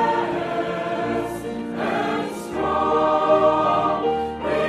Measureless and strong, we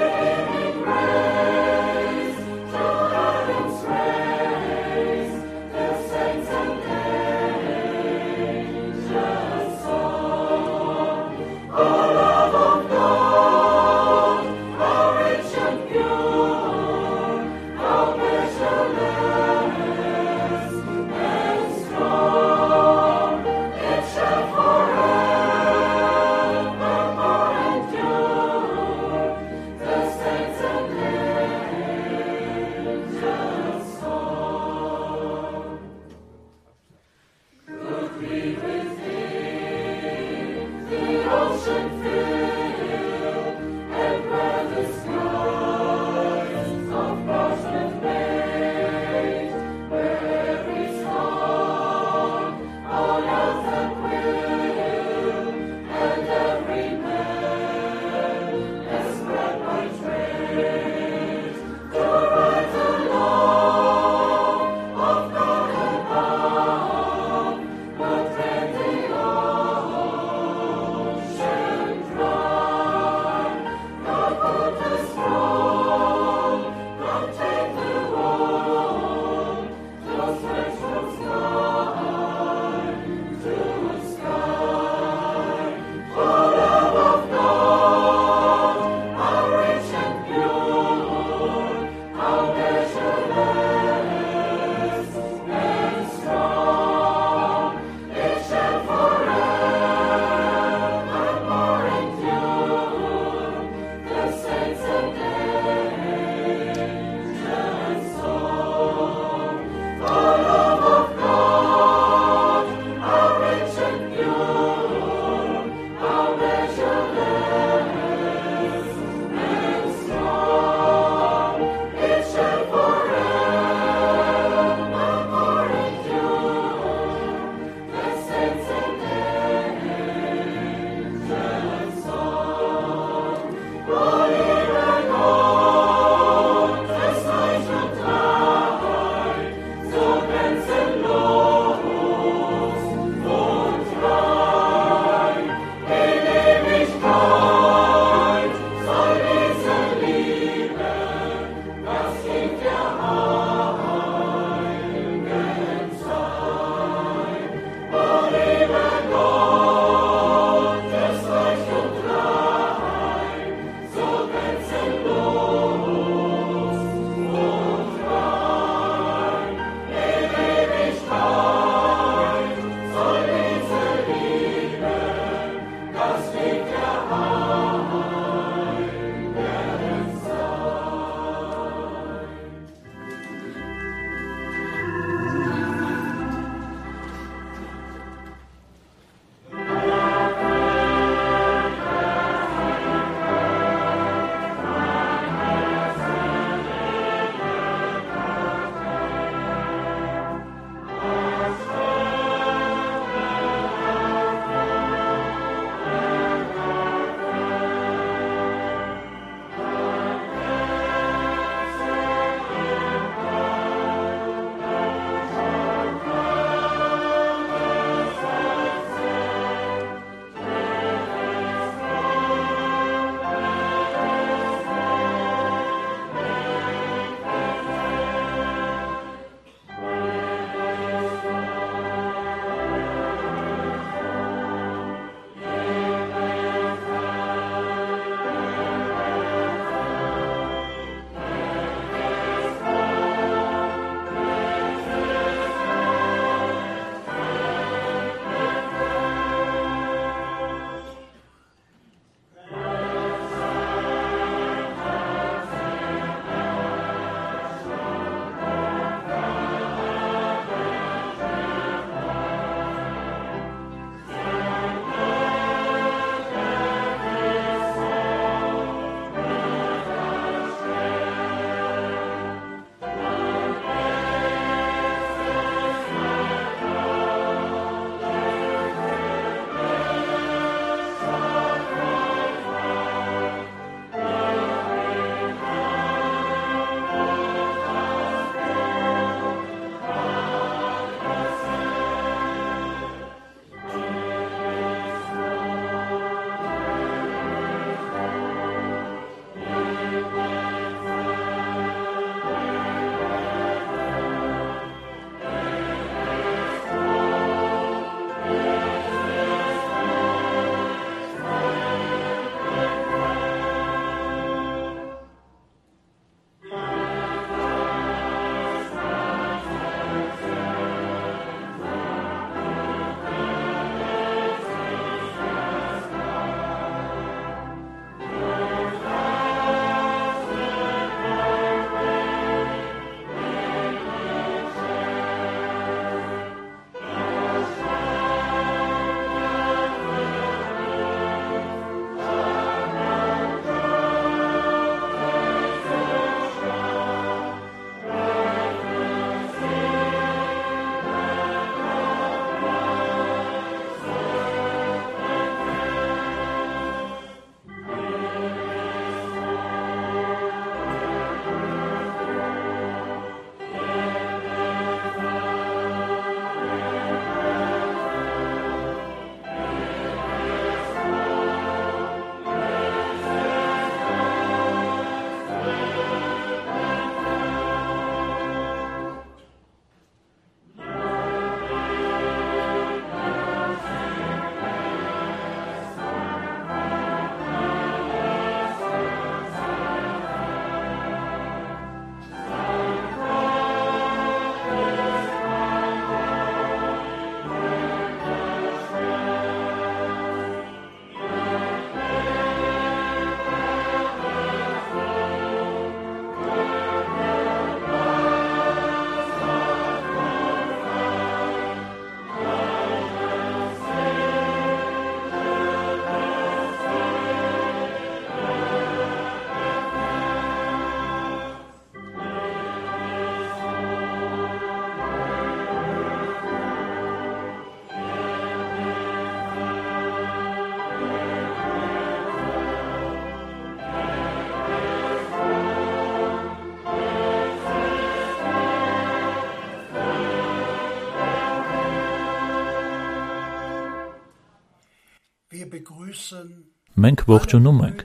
Մենք ողջունում ենք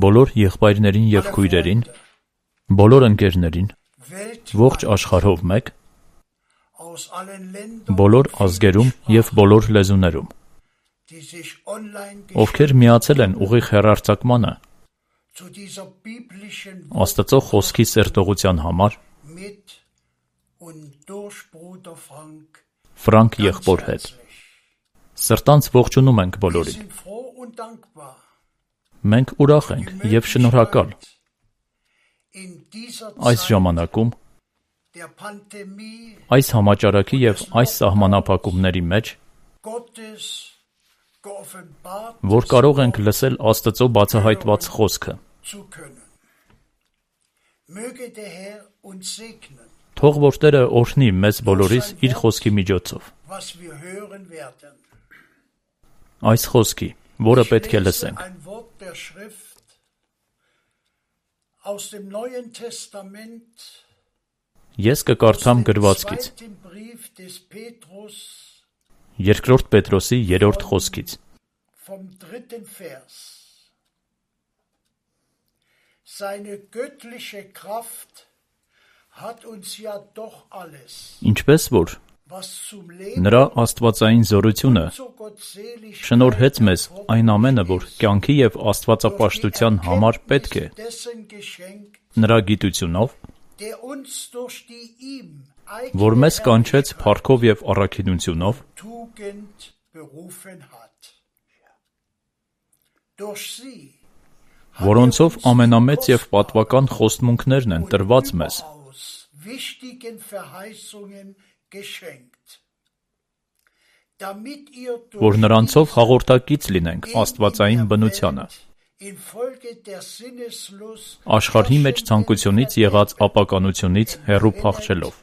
բոլոր եղբայրներին և քույրերին, բոլոր ընկերներին, ողջ աշխարհով մեկ, բոլոր ազգերում և բոլոր լեզուներում, ովքեր միացել են ուղիղ հեռարձակմանը Աստծո խոսքի սերտողության համար Ֆրանկ եղբոր հետ։ Սրտանց ողջունում ենք բոլորին։ Մենք ուրախ ենք և շնորհակալ այս ժամանակում, այս համաճարակի և այս սահմանափակումների մեջ, որ կարող ենք լսել Աստծո բացահայտված խոսքը։ Թող որ Տերը օրհնի մեզ բոլորիս իր խոսքի միջոցով։ Այս խոսքի, որը պետք է լսենք։ Ես կկարդամ գրվածքից, Երկրորդ Պետրոսի 3-րդ խոսքից։ Ինչպես որ նրա աստվածային զորությունը շնորհեց մեզ այն ամենը, որ կյանքի և աստվածապաշտության համար պետք է, նրա գիտությունով, որ մեզ կանչեց փառքով և առաքինությունով, որոնցով ամենամեծ և պատվական խոստմունքներն են տրված մեզ, որ նրանցով հաղորդակից լինենք աստվածային բնությանը, աշխարհի մեջ ցանկությունից եղած ապականությունից հեռու փախչելով։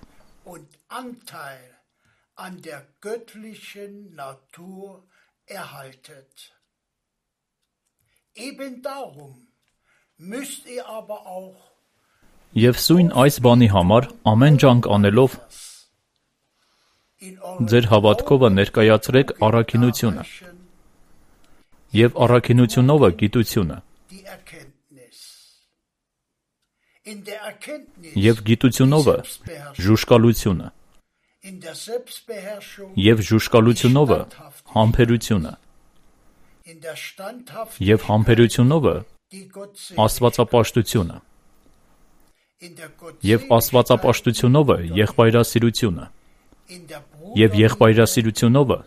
Եվ սույն այս բանի համար ամեն ջանք անելով ձեր հավատքովը ներկայացրեք առաքինությունը, և առաքինությունովը գիտությունը, և գիտությունովը ժուժկալությունը, և ժուժկալությունովը համբերությունը, և համբերությունովը աստվածապաշտությունը, և աստվածապաշտությունովը եղբայրասիրությունը, և եղբայրասիրությունովը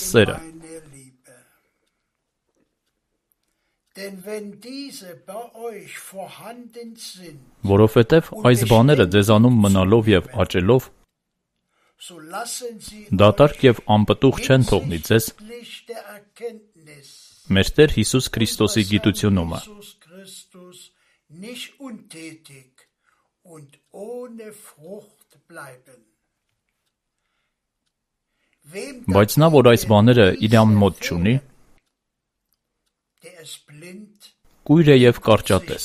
սերը։ Որովհետև այս բաները ձեզանում մնալով և աճելով, դատարկ և անպտուղ չեն թողնի ձեզ մեր Տեր Հիսուս Քրիստոսի գիտությունումը։ Բայց նա, որ այս բաները իրան մոտ չունի, կույր է և կարճատես,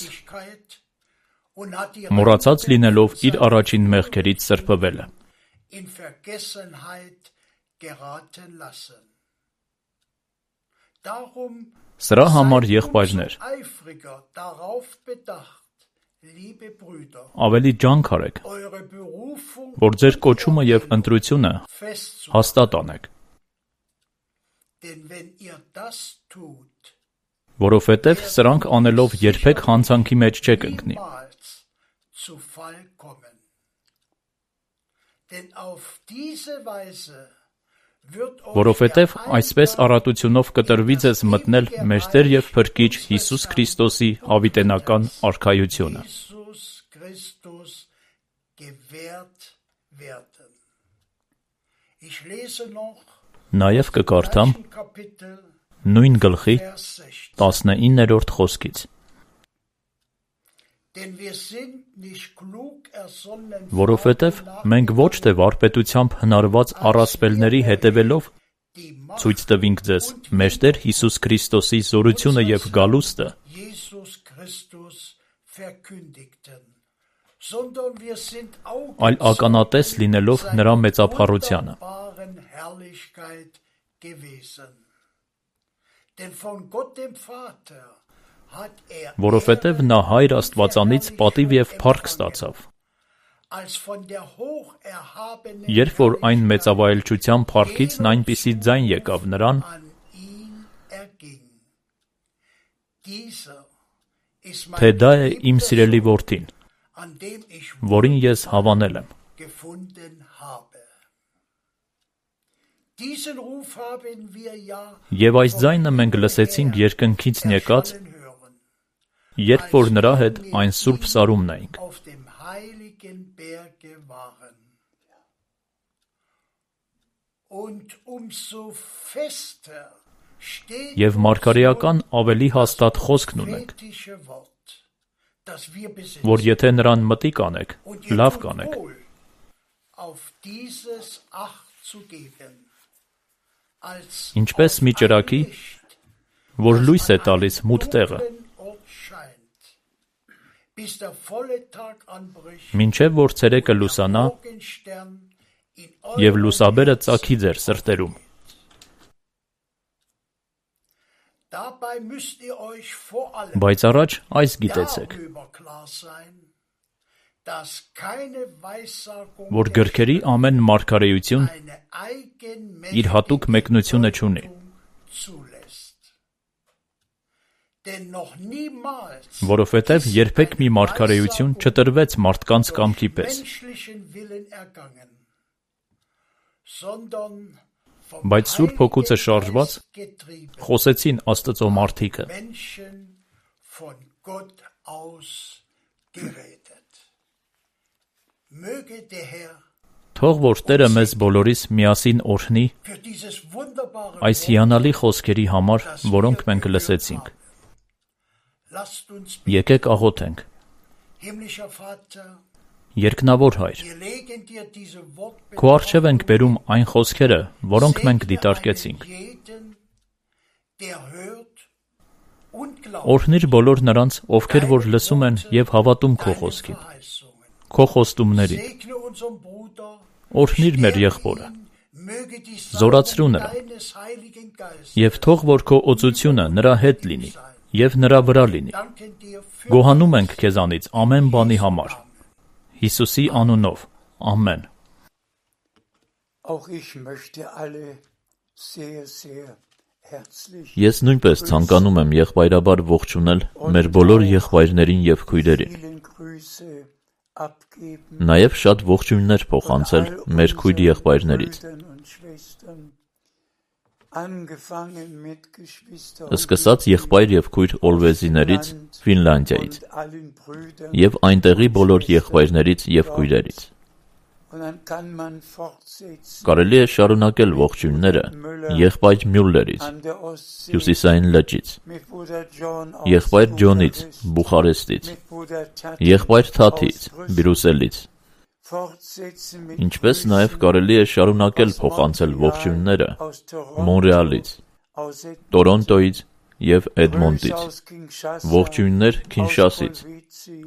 մոռացած լինելով իր առաջին մեղքերից սրբվելը։ Սրա համար, եղբայրներ, ավելի ջանք արեք, որ ձեր կոչումը և ընտրությունը հաստատ անեք, որովհետև սրանք անելով երբեք հանցանքի մեջ չեք ընկնի։ Որովհետև այսպես առատությունով կտրվի ձեզ մտնել մեր Տեր և Փրկիչ Հիսուս Քրիստոսի հավիտենական արքայությունը։ Նաև կկարդամ նույն գլխի 19-րդ խոսքից։ Որովհետև մենք ոչ թե վարպետությամբ հնարված առասպելների հետևելով ցույց տվինք ձեզ մեր Տեր Հիսուս Քրիստոսի զորությունը և գալուստը, այլ ականատես լինելով նրա մեծափառությանը։ Որովհետև նա Հայր Աստվածանից պատիվ և փառք ստացավ։ Երբ որ այն մեծավայելչության փառքից այնպիսի ձայն եկավ նրան, թե դա է իմ սիրելի որդին, որին ես հավանել եմ։ Եվ այս ձայնը մենք լսեցինք երկնքից եկած, երբ որ նրա հետ այն սուրբ սարումն էինք։ Եվ մարգարեական ավելի հաստատ խոսքն ունենք, որ եթե նրան մտիկ անեք, լավ կանեք։ Ինչպես մի ճրագի, որ լույս է տալիս մութ տեղը, մինչև որ ցերեկը լուսանա և լուսաբերը ծագի ձեր սրտերում։ Բայց առաջ այս գիտեցեք, որ գրքերի ամեն մարգարեություն իր հատուկ մեկնությունը չունի, որովհետև երբեք մի մարգարեություն չտրվեց մարդկանց կամքի պես, բայց Սուրբ Հոգուց շարժված խոսեցին Աստծո մարդիկը։ Թող որ Տերը մեզ բոլորիս միասին օրհնի այս հիանալի խոսքերի համար, որոնք մենք լսեցինք։ Եկեք աղոթենք։ Երկնավոր Հայր, քո առջև ենք բերում այն խոսքերը, որոնք մենք դիտարկեցինք։ Օրհնիր բոլոր նրանց, ովքեր որ լսում են և հավատում քո խոսքին, քո խոստումներին։ Օրհնիր մեր եղբորը, զորացրու նրան, և թող որ քո օծությունը նրա հետ լինի և նրա վրա լինի։ Գոհանում ենք քեզանից ամեն բանի համար։ Հիսուսի անունով, ամեն։ Ես նույնպես ցանկանում եմ եղբայրաբար ողջունել մեր բոլոր եղբայրներին և քույրերին։ Նաև շատ ողջույններ փոխանցել մեր քույր եղբայրներից։ Սկսած եղբայր և քույր Օլվեզիներից, Ֆինլանդիայից, և այնտեղի բոլոր եղբայրներից և քույրերից։ Կարելի է շարունակել ողջույնները եղբայր Մյուլլերից, Հյուսիսային լճից, եղբայր Ջոնից, Բուխարեստից, եղբայր Թաթից, Բրյուսելից։ Ինչպես նաև կարելի է շարունակել փոխանցել ողջույնները Մոնրեալից, Տորոնտոյից և Էդմոնտից, ողջույններ Քինշասից,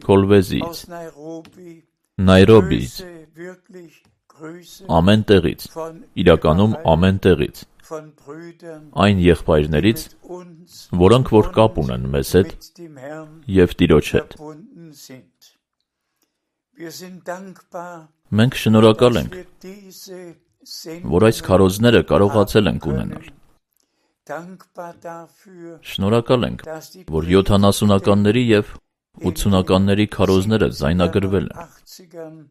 Քոլվեզիից, Նայրոբիից, ամեն տեղից, իրականում ամեն տեղից, այն եղբայրներից, որոնք որ կապ ունեն մեզ հետ և Տիրոջ հետ։ Մենք շնորհակալ ենք, որ այս քարոզները կարողացել ենք ունենալ։ Շնորհակալ ենք, որ 70-ականների և 80-ականների քարոզները ձայնագրվել են։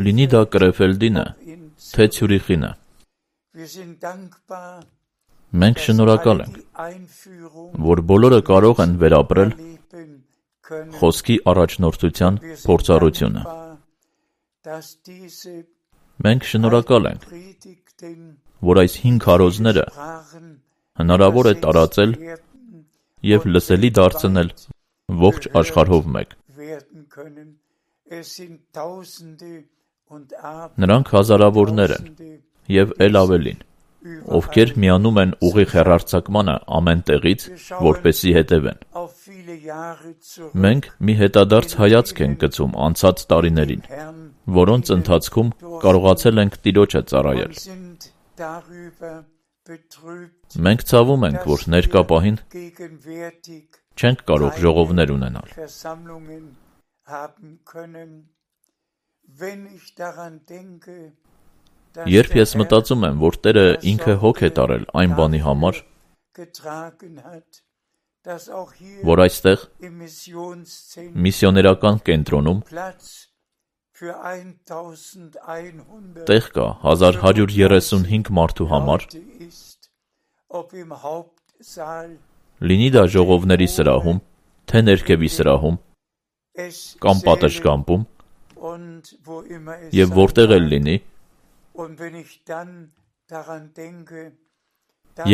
Լինի դա Կրեֆելդինը, թե Ցյուրիխինը։ Մենք շնորհակալ ենք, որ բոլորը կարող են վերապրել խոսքի առաջնորդության փորձառությունը։ Մենք շնորհակալ ենք, որ այս 5 քարոզները հնարավոր է տարածել և լսելի դարձնել ողջ աշխարհով մեկ։ Նրանք հազարավորներ են և էլ ավելին, ովքեր միանում են ուղիղ հեռարձակմանը ամեն տեղից, որպեսզի հետևեն։ Մենք մի հետադարձ հայացք ենք գցում անցած տարիներին, որոնց ընթացքում կարողացել ենք Տիրոջը ծառայել Մենք ցավում ենք, որ ներկա պահին չենք կարող ժողովներ ունենալ։ Երբ ես մտածում եմ, որ Տերը ինքը հոգ է տարել այն բանի համար, որ այստեղ միսիոներական կենտրոնում տեղ կա 1135 մարդու համար, լինի դա ժողովների սրահում, թե ներքևի սրահում, կամ պատշգամբում, եւ որտեղ էլ լինի,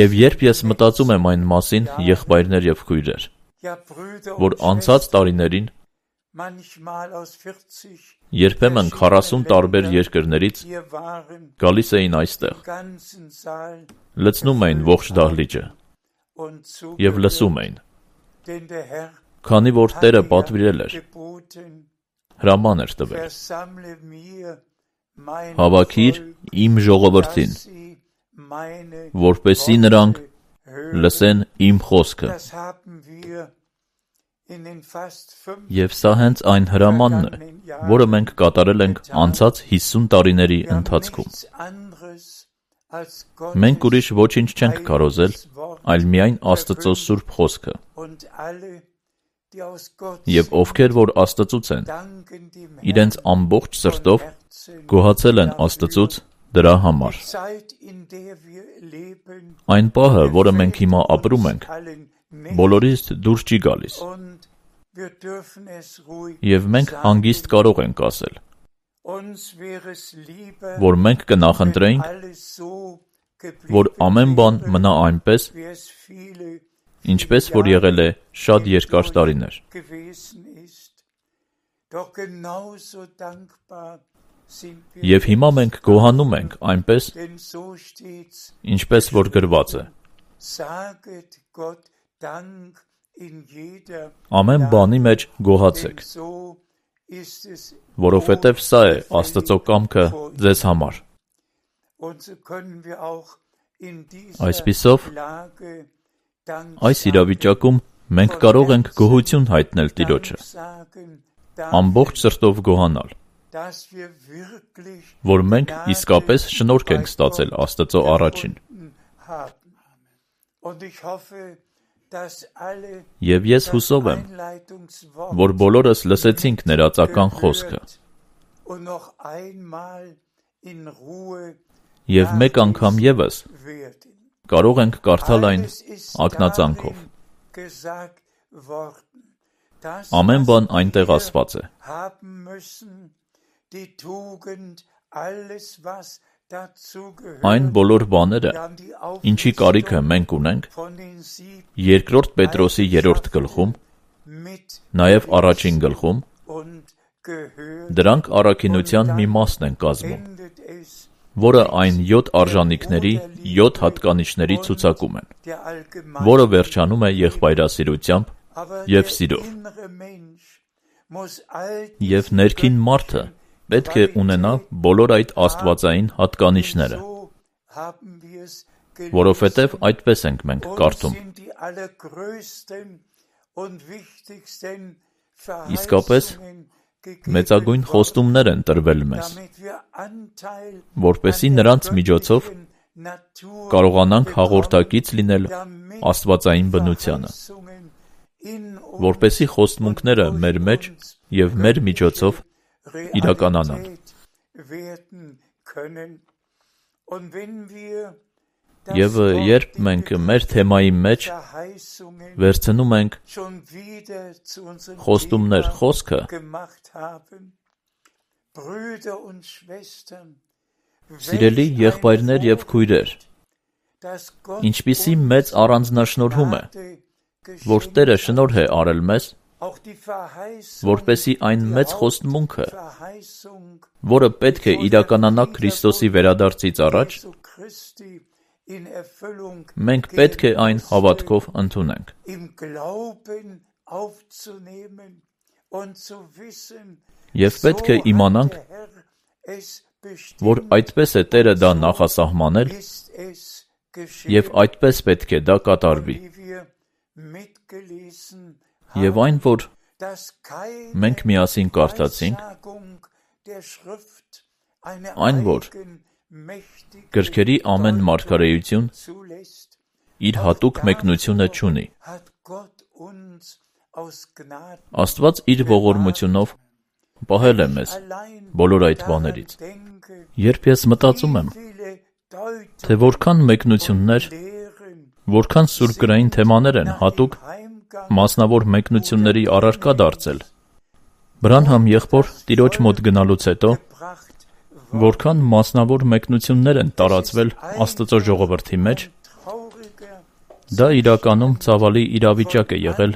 եւ երբ ես մտածում եմ այն մասին, եղբայրներ եւ քույրեր, որ անցած տարիներին երբեմն 40 տարբեր երկրներից գալիս էին այստեղ, լցնում էին ողջ դահլիճը եւ լսում էին, քանի որ Տերը պատվիրել էր, հրաման էր տվել. հավաքիր իմ ժողովրդին, որպեսզի նրանք լսեն իմ խոսքը։ Եվ սա հենց այն հրամանն է, որը մենք կատարել ենք անցած 50 տարիների ընթացքում։ Մենք ուրիշ ոչինչ չենք քարոզել, այլ միայն Աստծո սուրբ խոսքը։ Եվ ովքեր որ Աստծուց են, իրենց ամբողջ սրտով գոհացել են Աստծուց դրա համար։ Այն պահը, որը մենք հիմա ապրում ենք, բոլորից դուրս չի գալիս։ Եվ մենք հանգիստ կարող ենք ասել, որ մենք կնախընտրեինք, որ ամեն բան մնա այնպես, ինչպես որ եղել է շատ երկար տարիներ։ Եվ հիմա մենք գոհանում ենք այնպես, ինչպես որ գրված է. ամեն բանի մեջ գոհացեք, որովհետև սա է Աստծո կամքը ձեզ համար։ Այսպիսով, այս իրավիճակում մենք կարող ենք գոհություն հայտնել Տիրոջը, ամբողջ սրտով գոհանալ, որ մենք իսկապես շնորհք ենք ստացել Աստծո առաջին։ Եվ ես հուսով եմ, որ բոլորս լսեցինք ներածական խոսքը եւ մեկ անգամ եւս կարող ենք կարդալ այն ակնածանքով։ Ամեն բան այնտեղ ասված է։ Այն բոլոր բաները, ինչի կարիքը մենք ունենք, երկրորդ Պետրոսի 3-րդ գլխում, նաև առաջին գլխում, դրանք առաքինության մի մասն են կազմում, որը այն 7 արժանիքների 7 հատկանիշների ցուցակում են, որը վերջանում է եղբայրասիրությամբ եւ սիրով։ Եվ ներքին մարդը պետք է ունենա բոլոր այդ աստվածային հատկանիշները, որովհետև այդպես ենք մենք կարդում. իսկապես մեծագույն խոստումներ են տրվել մեզ, որպեսզի նրանց միջոցով կարողանանք հաղորդակից լինել աստվածային բնությանը, որպեսզի խոստմունքները մեր մեջ եւ մեր միջոցով իրականանան։ Եվ երբ մենք մեր թեմայի մեջ վերցնում ենք խոստումներ խոսքը, սիրելի եղբայրներ եւ քույրեր, ինչպիսի մեծ առանձնաշնորհում է, որ Տերը շնորհ է արել մեզ, որպեսզի այն մեծ խոստմունքը, որը պետք է իրականանա Քրիստոսի վերադարձից առաջ, մենք պետք է այն հավատքով ընդունենք։ Եվ պետք է իմանանք, որ այդպես է Տերը դա նախասահմանել և այդպես պետք է դա կատարվի։ Եվ այն, որ մենք միասին կարդացինք, այն, որ գրքերի ամեն մարգարեություն իր հատուկ մեկնությունը չունի։ Աստված իր ողորմությունով պահել է մեզ բոլոր այդ բաներից։ Երբ ես մտածում եմ, թե որքան մեկնություններ, որքան սուրբգրային թեմաներ են հատուկ մասնավոր մեկնությունների առարկա դարձել, Բրանհամ եղբոր տիրոջ մոտ գնալուց հետո, որքան մասնավոր մեկնություններ են տարածվել Աստծո ժողովրդի մեջ, դա իրականում ցավալի իրավիճակ է եղել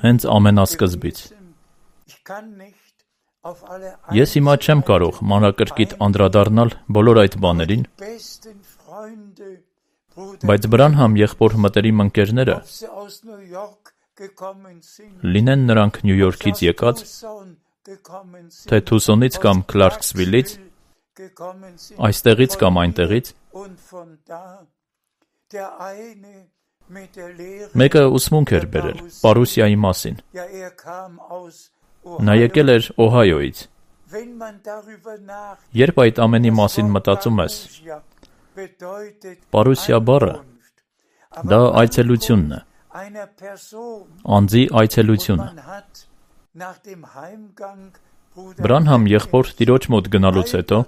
հենց ամենասկզբից։ Ես հիմա չեմ կարող մանրակրկիտ անդրադառնալ բոլոր այդ բաներին, բայց Բրանհամ եղբոր մտերիմ ընկերները, լինեն նրանք Նյու Յորքից եկած, թե Թուսոնից կամ Քլարքսվիլից, այստեղից կամ այնտեղից, մեկը ուսմունք էր բերել Պարուսիայի մասին։ Նա եկել էր Օհայոից։ Երբ այդ ամենի մասին մտածում ես, Պարուսիա բառը, դա այցելությունն է, անձի այցելությունը։ Բրանհամ եղբոր տիրոջ մոտ գնալուց հետո,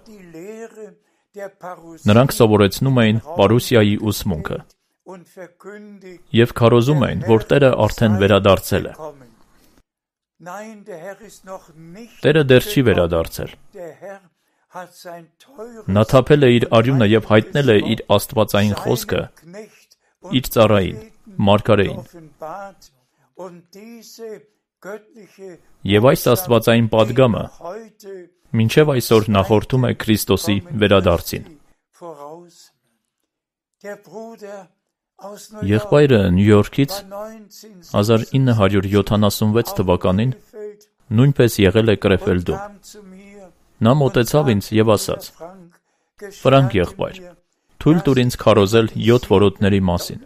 նրանք սովորեցնում էին Պարուսիայի ուսմունքը և քարոզում էին, որ Տերը արդեն վերադարձել է։ Տերը դեռ չի վերադարձել։ Նա թափել է իր արյունը և հայտնել է իր աստվածային խոսքը իր ծառային, մարգարեին։ Եվ այս աստվածային պատգամը մինչև այսօր նախորդում է Քրիստոսի վերադարձին։ Եղբայրը Նյու Յորքից 1976 թվականին նույնպես եղել է Կրեֆելդում։ Նա մոտեցավ ինձ և ասաց. «Ֆրանկ եղբայր, թույլ տուր ինձ քարոզել 7 որոտների մասին»։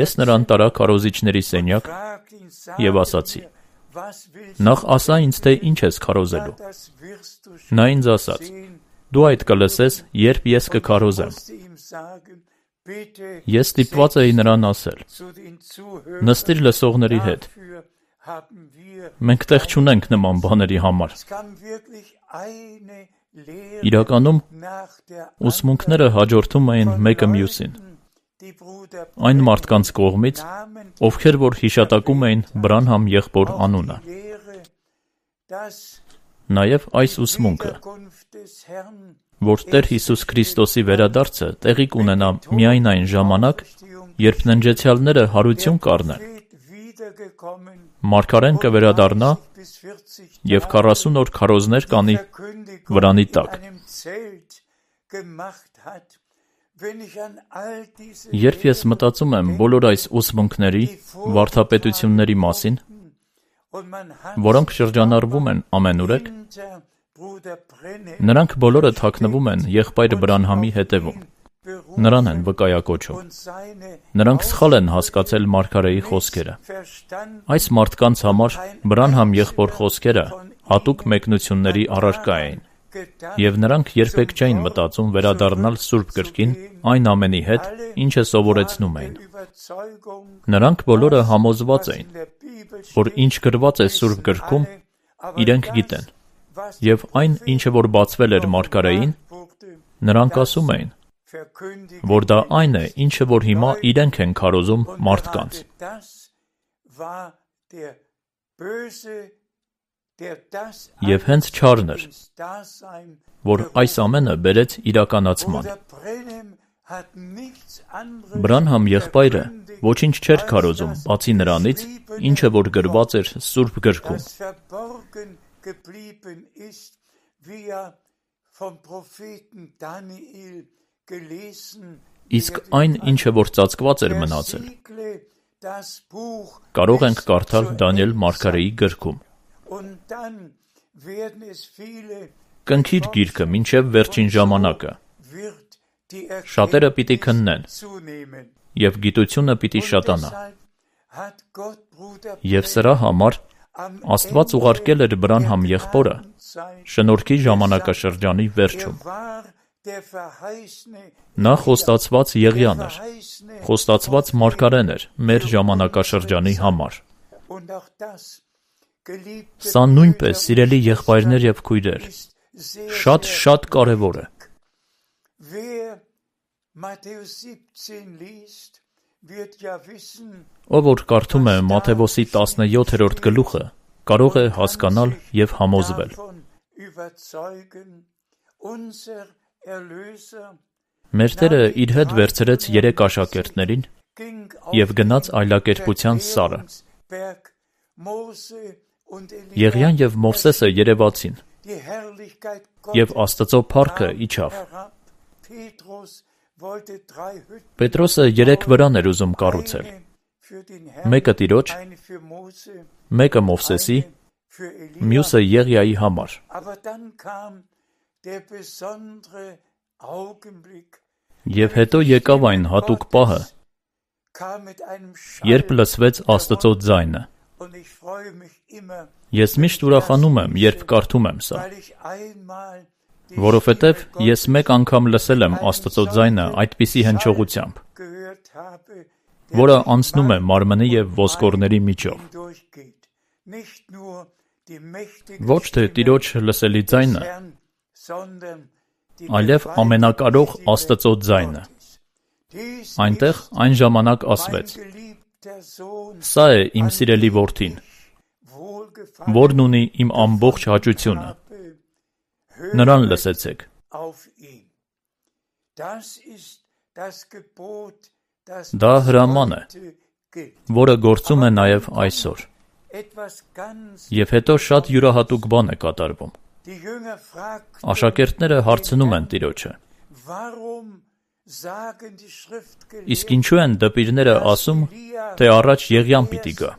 Ես նրան տարա քարոզիչների սենյակ և ասացի. «Նախ ասա ինձ, թե ինչ ես քարոզելու»։ Նա ինձ ասաց. «Դու այդ կլսես, երբ ես կքարոզեմ»։ Ես ստիպված էի նրան ասել. «Նստիր լսողների հետ։ Մենք տեղ չունենք նման բաների համար»։ Իրականում, ուսմունքները հաջորդում էին մեկը մյուսին։ Այն մարդկանց կողմից, ովքեր որ հիշատակում էին Բրանհամ եղբոր անունը։ Նաև այս ուսմունքը, որ Տեր Հիսուս Քրիստոսի վերադարձը տեղի կունենա միայն այն ժամանակ, երբ ննջեցյալները հարություն կառնեն, մարգարեն կվերադառնա և 40 օր քարոզներ կանի վրանի տակ։ Երբ ես մտածում եմ բոլոր այս ուսմունքների, վարդապետությունների մասին, որոնք շրջանառվում են ամենուրեք, նրանք բոլորը թաքնվում են եղբայր Բրանհամի հետևում, նրան են վկայակոչում։ Նրանք սխալ են հասկացել մարգարեի խոսքերը։ Այս մարդկանց համար Բրանհամ եղբոր խոսքերը հատուկ մեկնությունների առարկա էին, և նրանք երբեք չէին մտածում վերադառնալ Սուրբ գրքին այն ամենի հետ, ինչը սովորեցնում էին։ Նրանք բոլորը համոզված էին, որ ինչ գրված է Սուրբ գրքում, իրենք գիտեն, և այն, ինչը որ բացվել էր մարգարեին, նրանք ասում էին, որ դա այն է, ինչը որ հիմա իրենք են քարոզում մարդկանց։ Եվ հենց չարն էր, որ այս ամենը բերեց իրականացման։ Բրանհամ եղբայրը ոչինչ չէր քարոզում, բացի նրանից, ինչը որ գրված էր Սուրբ գրքում։ Իսկ այն, ինչը որ ծածկված էր մնացել, Կարող ենք կարդալ Դանիել մարգարեի գրքում. Կնքիր գիրքը մինչև վերջին ժամանակը, շատերը պիտի քննեն, և գիտությունը պիտի շատանա։ Եվ սրա համար Աստված ուղարկել էր Բրանհամ եղբորը շնորհքի ժամանակաշրջանի վերջում։ Նա խոստացված Եղիան էր, խոստացված մարգարեն էր մեր ժամանակաշրջանի համար։ Սա նույնպես, սիրելի եղբայրներ և քույրեր, շատ կարևոր է։ Ով որ կարդում է Մատթեոսի 17-րդ գլուխը, կարող է հասկանալ և համոզվել։ Մեր Տերը իր հետ վերցրեց 3 աշակերտներին և գնաց այլակերպության սարը։ Եղիան և Մովսեսը երևացին, և Աստծո փառքը իջավ։ Պետրոսը 3 վրան էր ուզում կառուցել, մեկը Տիրոջ, մեկը Մովսեսի, մյուսը Եղիայի համար։ Եվ հետո եկավ այն հատուկ պահը, երբ լսվեց Աստծո ձայնը։ Ես միշտ ուրախանում եմ, երբ կարդում եմ սա, որովհետև ես մեկ անգամ լսել եմ Աստծո ձայնը այդպիսի հնչողությամբ, որը անցնում է մարմնի և ոսկորների միջով։ Ոչ թե Տիրոջ լսելի ձայնը, այլև ամենակարող Աստծո ձայնը։ Այնտեղ այն ժամանակ ասվեց. «Սա է իմ սիրելի որդին, որն ունի իմ ամբողջ հաճությունը, նրան լսեցեք»։ Դա հրաման է, որը գործում է նաև այսօր։ Եվ հետո շատ յուրահատուկ բան է կատարվում։ Աշակերտները հարցնում են Տիրոջը. «Իսկ ինչու են դպիրները ասում, թե առաջ Եղիան պիտի գա»։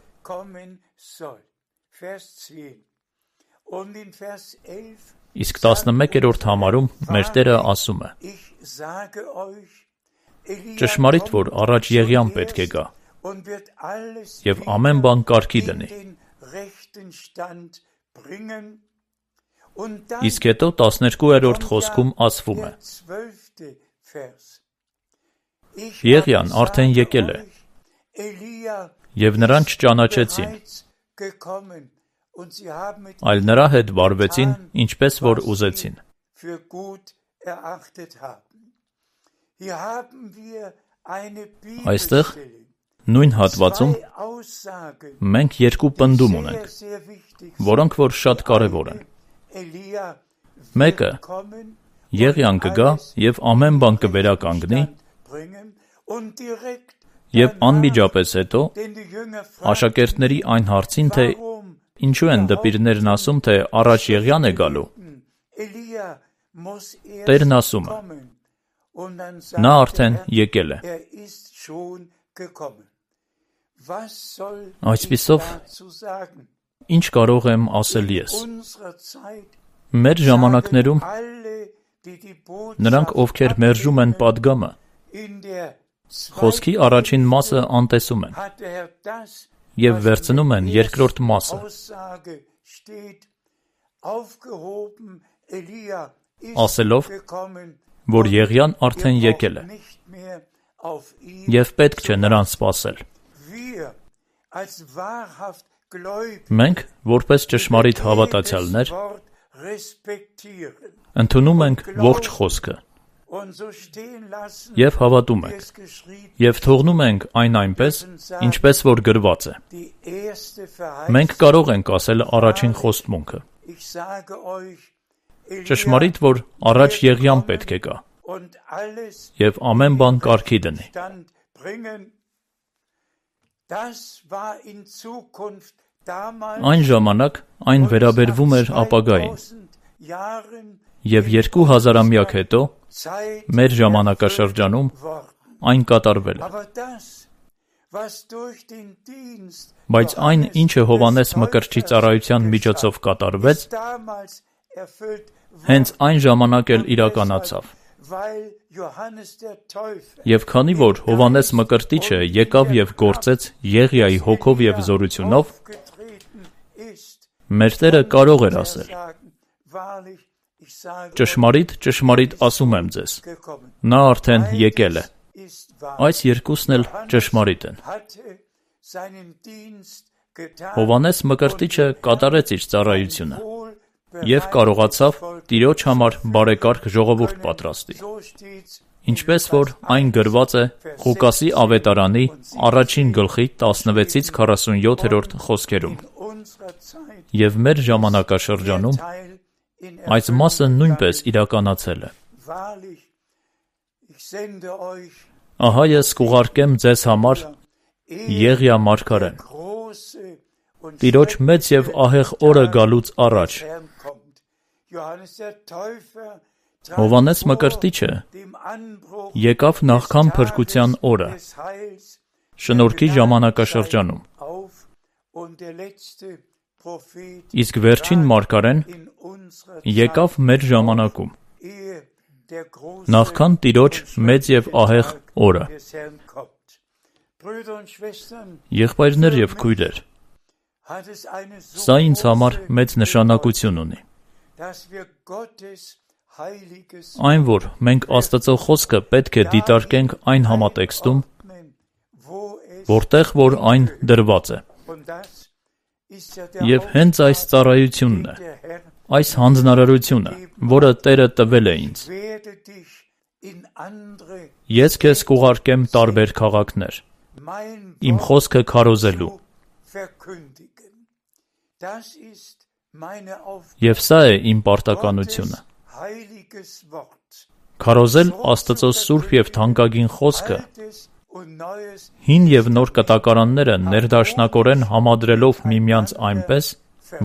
Իսկ 11-րդ համարում մեր Տերը ասում է. «Ճշմարիտ, որ առաջ Եղիան պետք է գա, և ամեն բան կարգի դնի»։ Իսկ հետո 12-րդ խոսքում ասվում է. «Եղիան արդեն եկել է, և նրան չճանաչեցին, այլ նրա հետ վարվեցին, ինչպես որ ուզեցին»։ Այստեղ, նույն հատվածում, մենք 2 պնդում ունենք, որոնք որ շատ կարևոր են։ Մեկը, Եղիան կգա և ամեն բան կվերականգնի, և անմիջապես հետո աշակերտների այն հարցին, թե ինչու են դպիրներն ասում, թե առաջ Եղիան է գալու, Տերն ասում է. նա արդեն եկել է։ Այսպիսով, ինչ կարող եմ ասել ես։ Մեր ժամանակներում նրանք, ովքեր մերժում են պատգամը, խոսքի առաջին մասը անտեսում են և վերցնում են երկրորդ մասը, ասելով, որ Եղիան արդեն եկել է, և պետք չէ նրան սպասել։ Մենք, որպես ճշմարիտ հավատացյալներ, ընդունում ենք ողջ խոսքը և հավատում ենք, և թողնում ենք այն այնպես, ինչպես որ գրված է։ Մենք կարող ենք ասել առաջին խոստմունքը. ճշմարիտ, որ առաջ Եղիան պետք է գա, և ամեն բան կարգի դնի։ Այն ժամանակ այն վերաբերվում էր ապագային, և 2000-ամյակ հետո, մեր ժամանակաշրջանում, այն կատարվել է։ Բայց այն, ինչը Հովհաննես Մկրտչի ծառայության միջոցով կատարվեց, հենց այն ժամանակ էլ իրականացավ։ Եվ քանի որ Հովհաննես Մկրտիչը եկավ եւ գործեց Եղիայի հոգով եւ զորությունով, մեր Տերը կարող էր ասել. ճշմարիտ, ճշմարիտ ասում եմ ձեզ, նա արդեն եկել է։ Այս երկուսն էլ ճշմարիտ են։ Հովհաննես Մկրտիչը կատարեց իր ծառայությունը եւ կարողացավ Տիրոջ համար բարեկարգ ժողովուրդ պատրաստի։ Ինչպես որ այն գրված է Ղուկասի ավետարանի 1 գլխի 16-ից 47-րդ խոսքերում։ Եվ մեր ժամանակաշրջանում այս մասը նույնպես իրականացել է։ Ահա ես կուղարկեմ ձեզ համար Եղիա մարգարեն, Տիրոջ մեծ եւ ահեղ օրը գալուց առաջ։ Հովհաննես Մկրտիչը եկավ նախքան փրկության օրը, շնորհքի ժամանակաշրջանում, իսկ վերջին մարգարեն եկավ մեր ժամանակում, նախքան Տիրոջ մեծ եւ ահեղ օրը։ Եղբայրներ եւ քույրեր, սա ինձ համար մեծ նշանակություն ունի։ Այն, որ մենք Աստծո խոսքը պետք է դիտարկենք այն համատեքստում, որտեղ որ այն դրված է։ Եվ հենց այս ծառայությունն է, այս հանձնարարությունը, որը Տերը տվել է ինձ։ Ես քեզ կուղարկեմ տարբեր քաղաքներ, իմ խոսքը քարոզելու։ Եվ սա է իմ պարտականությունը։ Քարոզել Աստծո սուրբ եւ թանկագին խոսքը, հին եւ նոր կտակարանները ներդաշնակորեն համադրելով միմյանց այնպես,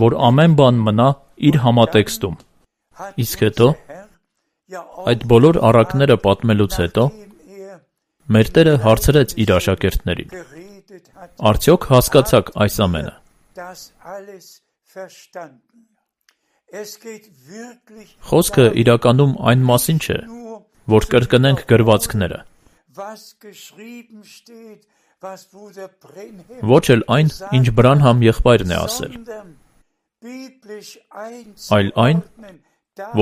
որ ամեն բան մնա իր համատեքստում։ Իսկ հետո, այդ բոլոր առակները պատմելուց հետո, մեր Տերը հարցրեց իր աշակերտներին. արդյոք հասկացաք այս ամենը։ Խոսքը իրականում այն մասին չէ, որ կրկնենք գրվածքները, ոչ էլ այն, ինչ Բրանհամ եղբայրն է ասել, այլ այն,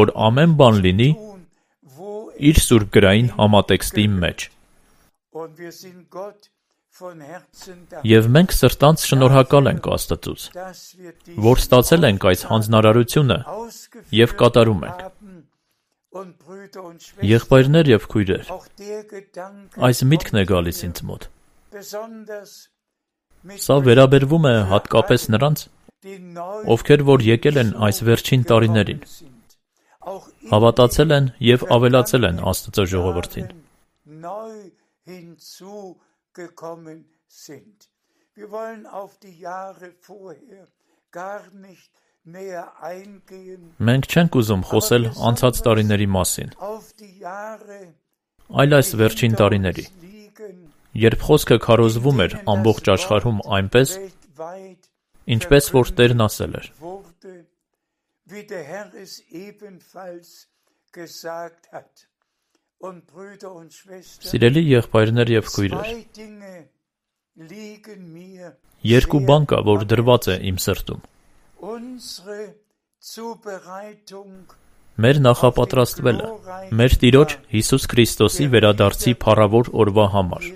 որ ամեն բան լինի իր սուրբ գրային համատեքստի մեջ։ Եվ մենք սրտանց շնորհակալ ենք Աստծուց, որ ստացել ենք այս հանձնարարությունը եւ կատարում ենք։ Եղբայրներ եւ քույրեր, այս միտքն է գալիս ինձ մոտ։ Սա վերաբերվում է հատկապես նրանց, ովքեր որ եկել են այս վերջին տարիներին, հավատացել են եւ ավելացել են Աստծո ժողովրդին։ Մենք չենք ուզում խոսել անցած տարիների մասին, այլ այս վերջին տարիների, երբ խոսքը քարոզվում էր ամբողջ աշխարհում այնպես, ինչպես որ Տերն ասել էր։ Սիրելի եղբայրներ եւ քույրեր, երկու բան կա, որ դրված է իմ սրտում։ Մեր նախապատրաստվելը, մեր Տիրոջ Հիսուս Քրիստոսի վերադարձի փառավոր օրվա համար։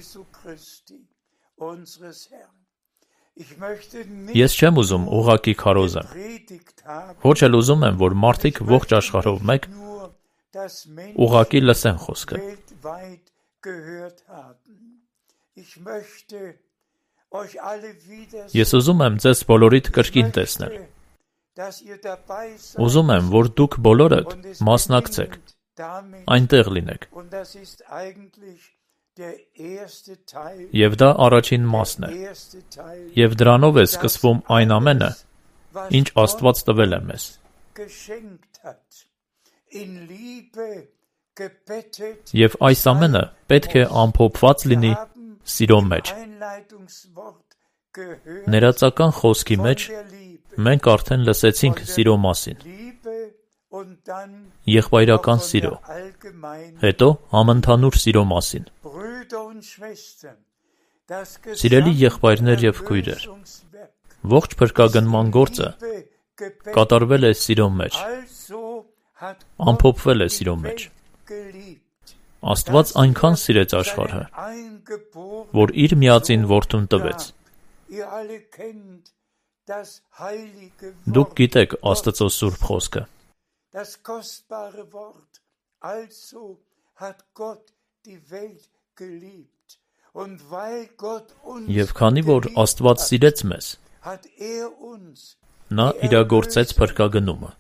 Ես չեմ ուզում ուղղակի քարոզեմ, ոչ էլ ուզում եմ, որ մարդիկ ողջ աշխարհով մեկ ուղղակի լսեն խոսքը։ Ես ուզում եմ ձեզ բոլորիդ կրկին տեսնել։ Ուզում եմ, որ դուք բոլորդ մասնակցեք, այնտեղ լինեք։ Եվ դա առաջին մասն է։ Եվ դրանով է սկսվում այն ամենը, ինչ Աստված տվել է մեզ։ Եվ այս ամենը պետք է ամփոփված լինի սիրո մեջ։ Ներածական խոսքի մեջ մենք արդեն լսեցինք սիրո մասին։ Եղբայրական սիրո, հետո համընդհանուր սիրո մասին։ Սիրելի եղբայրներ եւ քույրեր, ողջ փրկագնման գործը կատարվել է սիրո մեջ, ամփոփվել է սիրո մեջ։ Աստված այնքան սիրեց աշխարհը, որ իր միածին որդուն տվեց։ Դուք գիտեք Աստծո սուրբ խոսքը։ Եվ քանի որ Աստված սիրեց մեզ, նա իրագործեց փրկագնումը,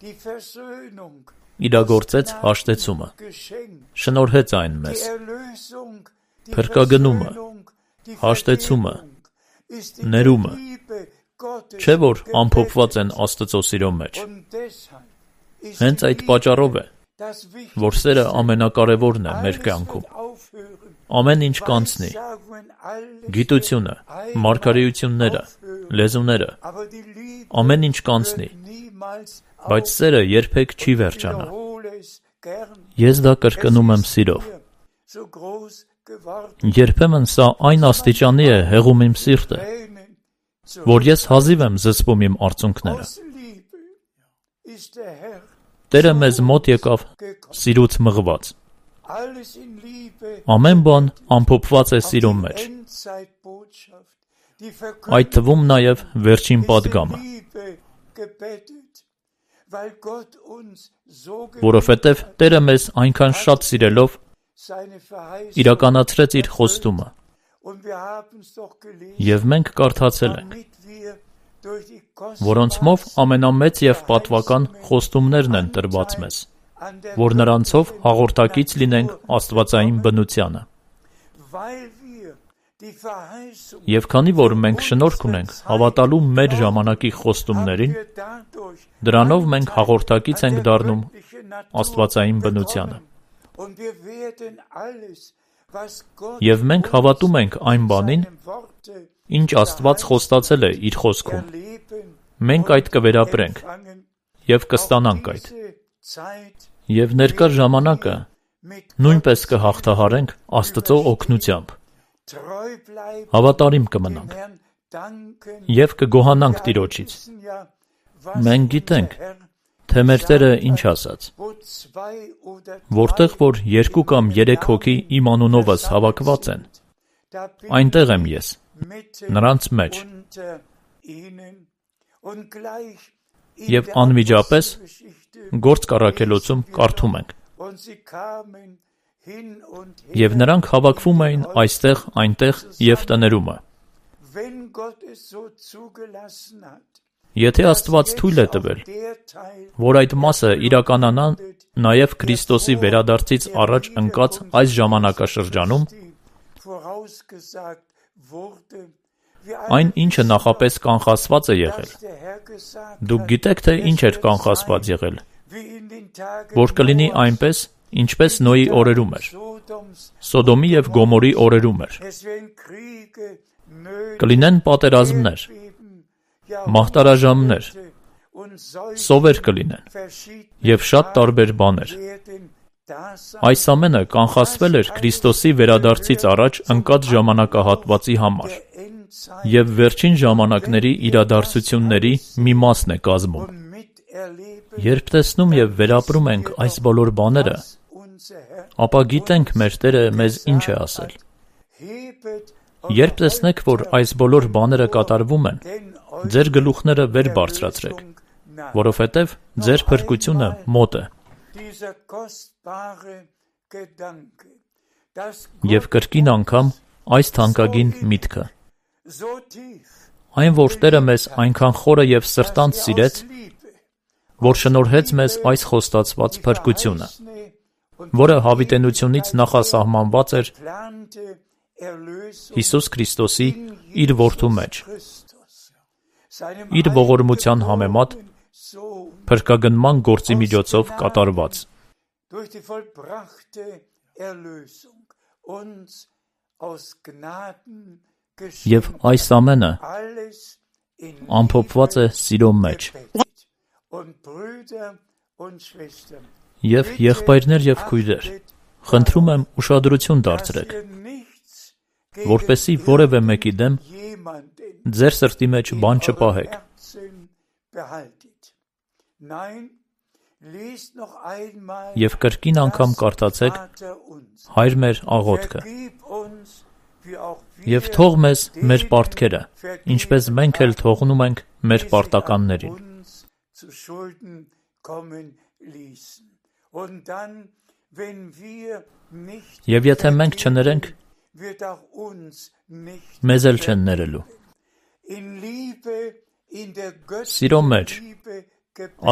իրագործեց հաշտեցումը, շնորհեց այն մեզ։ Փրկագնումը, հաշտեցումը, ներումը, չէ՞ որ ամփոփված են Աստծո սիրո մեջ։ Հենց այդ պատճառով է, որ սերը ամենակարևորն է մեր կյանքում։ Ամեն ինչ կանցնի, գիտությունը, մարգարեությունները, լեզուները, ամեն ինչ կանցնի, բայց սերը երբեք չի վերջանա։ Ես դա կրկնում եմ սիրով։ Երբեմն սա այն աստիճանի է հեղում իմ սիրտը, որ ես հազիվ եմ զսպում իմ արցունքները։ Տերը մեզ մոտ եկավ սիրուց մղված։ Ամեն բան ամփոփված է սիրո մեջ, այդ թվում նաև վերջին պատգամը, որովհետև Տերը մեզ այնքան շատ սիրելով իրականացրեց իր խոստումը, և մենք կարդացել ենք, որոնցմով ամենամեծ և պատվական խոստումներն են տրված մեզ, որ նրանցով հաղորդակից լինենք աստվածային բնությանը։ Եվ քանի որ մենք շնորհք ունենք հավատալու մեր ժամանակի խոստումներին, դրանով մենք հաղորդակից ենք դառնում աստվածային բնությանը։ Եվ մենք հավատում ենք այն բանին, ինչ Աստված խոստացել է իր խոսքում։ Մենք այդ կվերապրենք և կստանանք այդ։ Եվ ներկա ժամանակը նույնպես կհաղթահարենք Աստծո օգնությամբ։ Հավատարիմ կմնանք և կգոհանանք Տիրոջից։ Մենք գիտենք, թե մեր Տերը ինչ ասաց. որտեղ որ 2 կամ 3 հոգի իմ անունովս հավաքված են, այնտեղ եմ ես, նրանց մեջ։ Եվ անմիջապես Գործք առաքելոցում կարդում ենք. Եվ նրանք հավաքվում էին այստեղ, այնտեղ և տներումը։ Եթե Աստված թույլ է տվել, որ այդ մասը իրականանա նաև Քրիստոսի վերադարձից առաջ ընկած այս ժամանակաշրջանում, այն ինչը նախապես կանխատեսված է եղել։ Դուք գիտեք, թե ինչ էր կանխատեսված եղել, որ կլինի այնպես, ինչպես Նոյի օրերում էր, Սոդոմի և Գոմորի օրերում էր։ Կլինեն պատերազմներ, մահտարաժամներ, սովեր կլինեն և շատ տարբեր բաներ։ Այս ամենը կանխատեսվել էր Քրիստոսի վերադարձից առաջ ընկած ժամանակահատվածի համար և վերջին ժամանակների իրադարձությունների մի մասն է կազմում։ Երբ տեսնում և վերապրում ենք այս բոլոր բաները, ապա գիտենք մեր Տերը մեզ ինչ է ասել։ Երբ տեսնեք, որ այս բոլոր բաները կատարվում են, ձեր գլուխները վեր բարձրացրեք, որովհետև ձեր փրկությունը մոտ է։ Եվ կրկին անգամ այս թանկագին միտքը. այն, որ Տերը մեզ այնքան խորը և սրտանց սիրեց, որ շնորհեց մեզ այս խոստացված փրկությունը, որը հավիտենությունից նախասահմանված էր Հիսուս Քրիստոսի իր որդու մեջ, իր ողորմության համեմատ փրկագնման գործի միջոցով կատարված։ Եվ այս ամենը ամփոփված է սիրո մեջ։ Եվ եղբայրներ եւ քույրեր, խնդրում եմ ուշադրություն դարձրեք, որպեսզի որևէ մեկի դեմ ձեր սրտի մեջ բան չպահեք։ Եվ կրկին անգամ կարդացեք Հայր մեր աղոթքը։ Եվ թող մեզ մեր պարտքերը, ինչպես մենք էլ թողնում ենք մեր պարտականներին։ Եվ եթե մենք չներենք, մեզ էլ չեն ներելու։ Սիրո մեջ,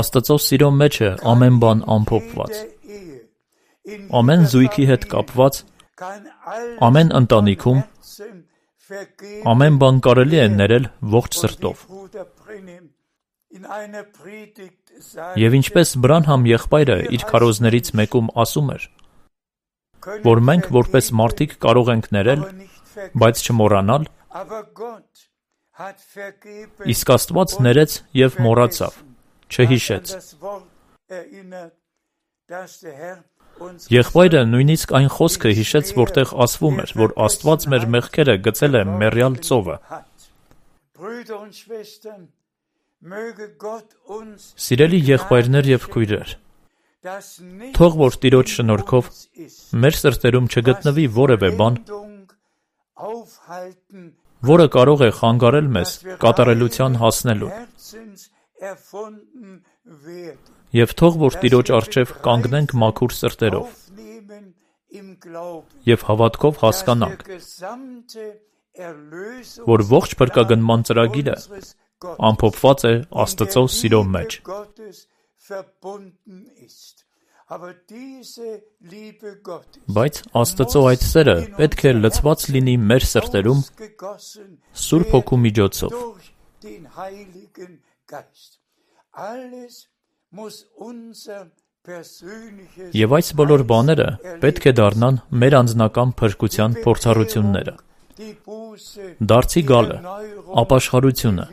Աստծո սիրո մեջ է ամեն բան ամփոփված։ Ամեն զույգի հետ կապված, ամեն ընտանիքում, ամեն բան կարելի է ներել ողջ սրտով։ Եվ ինչպես Բրանհամ եղբայրը իր քարոզներից մեկում ասում էր, որ մենք որպես մարդիկ կարող ենք ներել, բայց չմոռանալ, իսկ Աստված ներեց և մոռացավ, չհիշեց։ Եղբայրը նույնիսկ այն խոսքը հիշեց, որտեղ ասվում էր, որ Աստված մեր մեղքերը գցել է մեռյալ ծովը։ Սիրելի եղբայրներ և քույրեր, թող որ Տիրոջ շնորհքով մեր սրտերում չգտնվի որևէ բան, որը կարող է խանգարել մեզ կատարելության հասնելու։ Եվ թող որ Տիրոջ առջև կանգնենք մաքուր սրտերով և հավատքով հասկանանք, որ ողջ փրկագնման ծրագիրը ամփոփված է Աստծո սիրո մեջ։ Բայց Աստծո այդ սերը պետք է լցված լինի մեր սրտերում Սուրբ Հոգու միջոցով։ Եվ այս բոլոր բաները պետք է դառնան մեր անձնական փրկության փորձառությունները։ Դարձի գալը, ապաշխարությունը,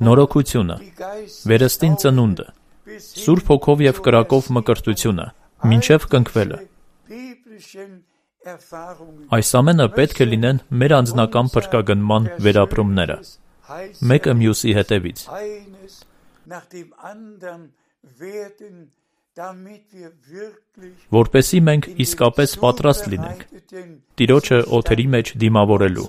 նորոգությունը, վերստին ծնունդը, Սուրբ Հոգով և կրակով մկրտությունը, մինչև կնքվելը։ Այս ամենը պետք է լինեն մեր անձնական փրկագնման վերապրումները, մեկը մյուսի հետևից։ Որպեսզի մենք իսկապես պատրաստ լինենք Տիրոջը օդերի մեջ դիմավորելու։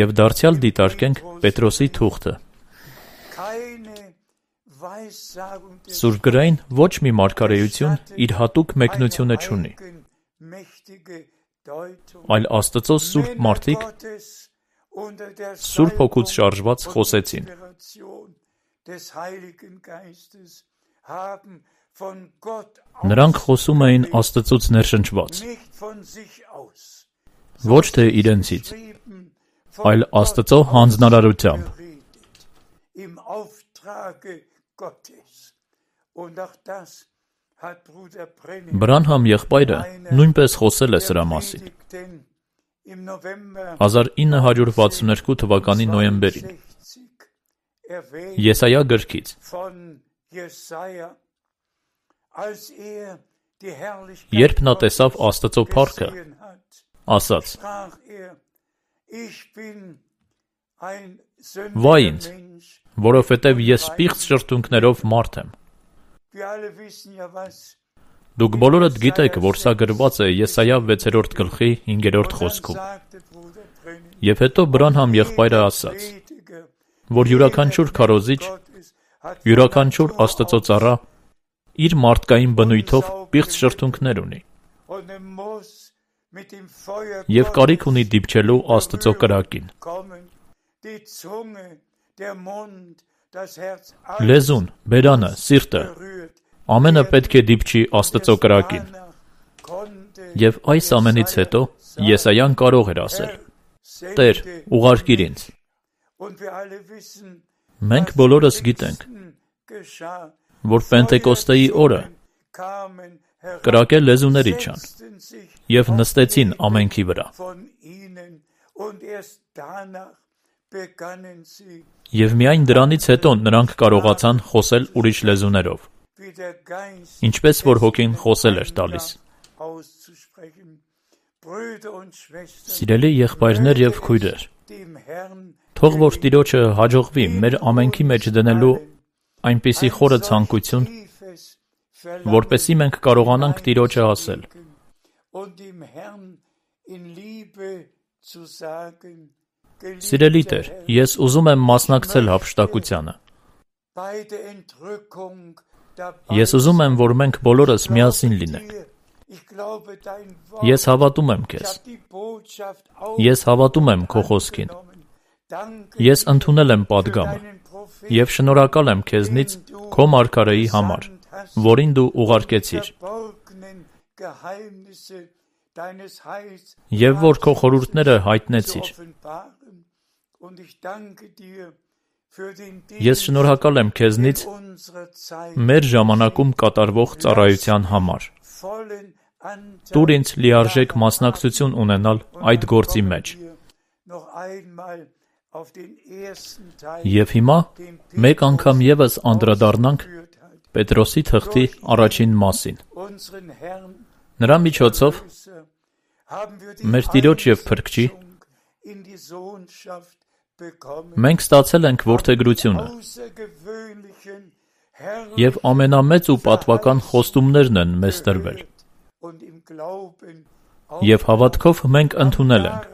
Եվ դարձյալ դիտարկենք Պետրոսի թուղթը։ Սուրբ գրային ոչ մի մարգարեություն իր հատուկ մեկնությունը չունի, այլ Աստծո սուրբ մարդիկ Սուրբ Հոգուց շարժված խոսեցին։ Նրանք խոսում էին Աստծուց ներշնչված, ոչ թե իրենցից, այլ Աստծո հանձնարարությամբ։ Բրանհամ եղբայրը նույնպես խոսել է սրա մասին։ 1962 թվականի նոյեմբերին Եսայա գրքից երբ նա տեսավ Աստծո փառքը, ասաց. «Վայ ինձ, որովհետև ես պիղծ շրթունքներով մարդ եմ»։ Դուք բոլորդ գիտեք, որ սա գրված է Եսայա 6-րդ գլխի 5-րդ խոսքում։ Եվ հետո Բրանհամ եղբայրը ասաց, որ յուրաքանչյուր քարոզիչ, յուրաքանչյուր Աստծո ծառա իր մարդկային բնույթով պիղծ շրթունքներ ունի և կարիք ունի դիպչելու Աստծո կրակին։ Լեզուն, բերանը, սիրտը, ամենը պետք է դիպչի Աստծո կրակին։ Եվ այս ամենից հետո Եսայան կարող էր ասել. «Տեր, ուղարկիր ինձ»։ Մենք բոլորս գիտենք, որ Պենտեկոստեի օրը կրակե լեզուների չան և նստեցին ամենքի վրա։ Եվ միայն դրանից հետո նրանք կարողացան խոսել ուրիշ լեզուներով, ինչպես որ հոգին խոսել էր տալիս։ Սիրելի եղբայրներ և քույրեր, թող որ Տիրոջը հաջողվի մեր ամենքի մեջ դնելու այնպիսի խորը ցանկություն, որպեսզի մենք կարողանանք Տիրոջը ասել. «Սիրելի Տեր, ես ուզում եմ մասնակցել հափշտակությանը։ Ես ուզում եմ, որ մենք բոլորս միասին լինենք։ Ես հավատում եմ Քեզ։ Ես հավատում եմ Քո խոսքին։ Ես ընդունել եմ պատգամը և շնորհակալ եմ Քեզնից Քո մարգարեի համար, որին Դու ուղարկեցիր, և որ Քո խորհուրդները հայտնեցիր։ Ես շնորհակալ եմ Քեզնից մեր ժամանակում կատարվող ծառայության համար։ Տուր ինձ լիարժեք մասնակցություն ունենալ այդ գործի մեջ։ Եվ հիմա մեկ անգամ ևս անդրադառնանք Պետրոսի թղթի առաջին մասին։ Նրա միջոցով մեր Տիրոջ և Փրկչի մենք ստացել ենք որդեգրությունը և ամենամեծ ու պատվական խոստումներն են մեզ տրվել։ Եվ հավատքով մենք ընդունել ենք։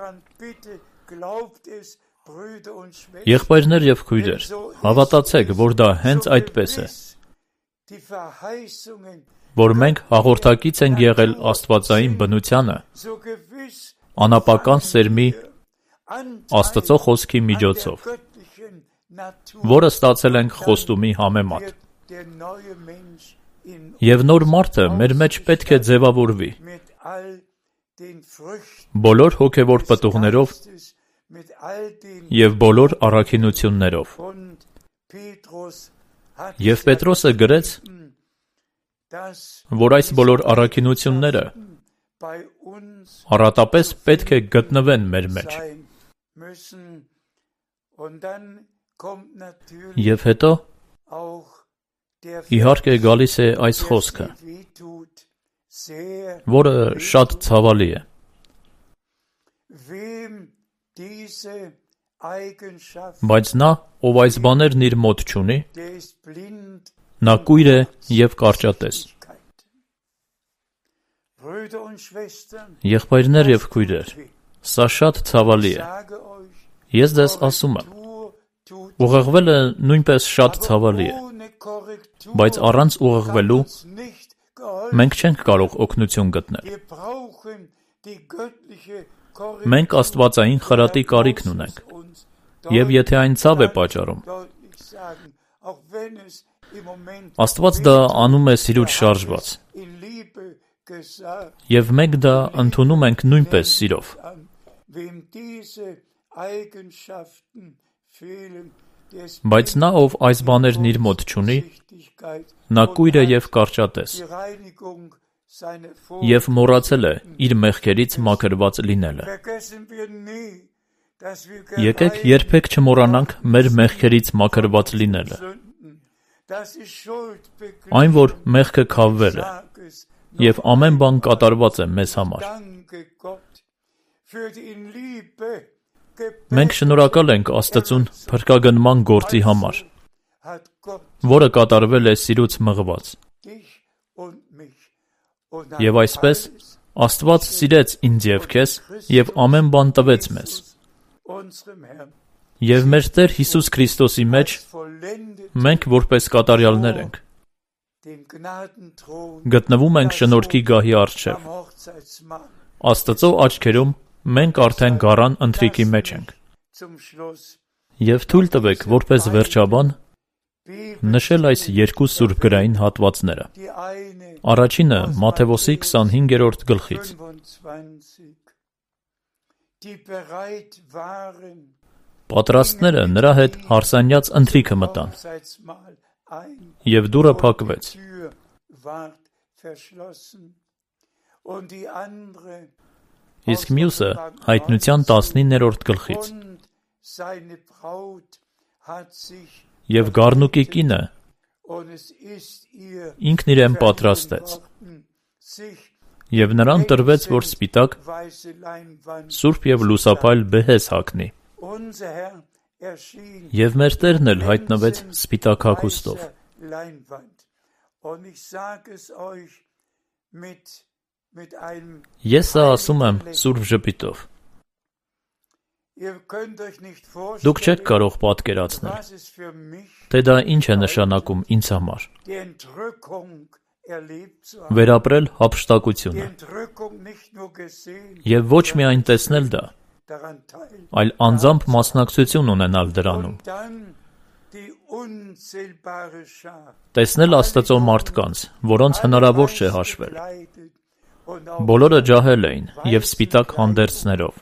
Եղբայրներ և քույրեր, հավատացեք, որ դա հենց այդպես է, որ մենք հաղորդակից ենք եղել աստվածային բնությանը, անապական սերմի Աստծո խոսքի միջոցով, որը ստացել ենք խոստումի համեմատ։ Եվ նոր մարդը մեր մեջ պետք է ձևավորվի բոլոր հոգևոր պտուղներով և բոլոր առաքինություններով։ Եվ Պետրոսը գրեց, որ այս բոլոր առաքինությունները առատապես պետք է գտնվեն մեր մեջ։ Եվ հետո իհարկե գալիս է այս խոսքը, որը շատ ցավալի է։ Բայց նա, ով այս բաներն իր մոտ չունի, նա կույր է և կարճատես։ Եղբայրներ և քույրեր, սա շատ ցավալի է։ Ես ձեզ ասում եմ, ուղեղվելը նույնպես շատ ցավալի է, բայց առանց ուղեղվելու մենք չենք կարող օգնություն գտնել։ Մենք աստվածային խրատի կարիքն ունենք, և եթե այն ցավ է պատճառում, Աստված դա անում է սիրուց շարժված, և մենք դա ընդունում ենք նույնպես սիրով։ Բայց նա, ով այս բաներն իր մոտ չունի, նա կույր է և կարճատես, և մոռացել է իր մեղքերից մաքրված լինելը։ Եկեք երբեք չմոռանանք մեր մեղքերից մաքրված լինելը։ Այն, որ մեղքը քավվել է, և ամեն բան կատարված է մեզ համար։ Մենք շնորհակալ ենք Աստծուն փրկագնման գործի համար, որը կատարվել է սիրուց մղված։ Եվ այսպես Աստված սիրեց ինձ և քեզ և ամեն բան տվեց մեզ։ Եվ մեր Տեր Հիսուս Քրիստոսի մեջ մենք որպես կատարյալներ ենք։ Գտնվում ենք շնորհքի գահի առջև։ Աստծո աչքերում մենք արդեն գառան ընթրիքի մեջ ենք։ Եվ թույլ տվեք, որպես վերջաբան, նշել այս երկու սուրբգրային հատվածները։ Առաջինը Մատթեոսի 25-րդ գլխից։ Պատրաստները նրա հետ հարսանյաց ընթրիքը մտան, և դուռը փակվեց։ Իսկ մյուսը Հայտնության 19-րդ գլխից. Եվ գառնուկի կինը ինքն իրեն պատրաստեց, և նրան տրվեց, որ սպիտակ, սուրբ և լուսափայլ բեհեզ հագնի, և մեր Տերն էլ հայտնվեց սպիտակ հագուստով։ Ես սա ասում եմ սուրբ ժպիտով։ Դուք չեք կարող պատկերացնել, թե դա ինչ է նշանակում ինձ համար։ Վերապրել հափշտակությունը, և ոչ միայն տեսնել դա, այլ անձամբ մասնակցություն ունենալ դրանում։ Տեսնել Աստծո մարդկանց, որոնց հնարավոր չէ հաշվել։ Բոլորը ջահել էին և սպիտակ հանդերձներով։